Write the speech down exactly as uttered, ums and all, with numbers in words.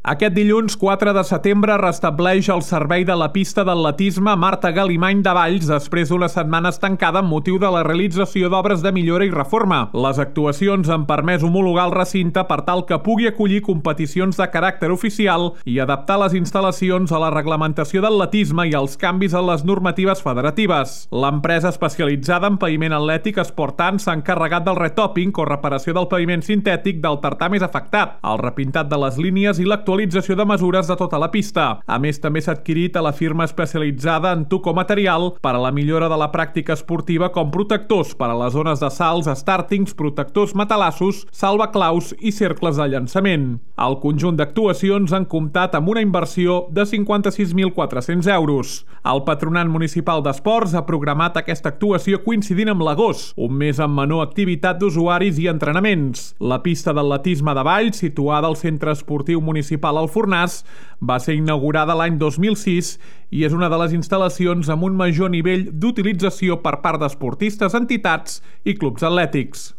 Aquest dilluns quatre de setembre restableix el servei de la pista d'atletisme Marta Galimany de Valls després d'una setmana estancada amb motiu de la realització d'obres de millora i reforma. Les actuacions han permès homologar el recinte per tal que pugui acollir competicions de caràcter oficial i adaptar les instal·lacions a la reglamentació d'atletisme i als canvis en les normatives federatives. L'empresa especialitzada en paviment atlètic Sportant s'ha encarregat del retopping o reparació del paviment sintètic del tartà més afectat, el repintat de les línies i l'actualització actualització de mesures de tota la pista. A més, també s'ha adquirit a la firma especialitzada en Tuco Material per a la millora de la pràctica esportiva com protectors per a les zones de salts, stàrtings, protectors matalassos, salvaclaus i cercles de llançament. El conjunt d'actuacions han comptat amb una inversió de cinquanta-sis mil quatre-cents euros. El Patronat Municipal d'Esports ha programat aquesta actuació coincidint amb l'agost, un mes amb menor activitat d'usuaris i entrenaments. La pista d'atletisme de Valls, situada al Centre Esportiu Municipal al Fornàs, va ser inaugurada l'any dos mil sis i és una de les instal·lacions amb un major nivell d'utilització per part d'esportistes, entitats i clubs atlètics.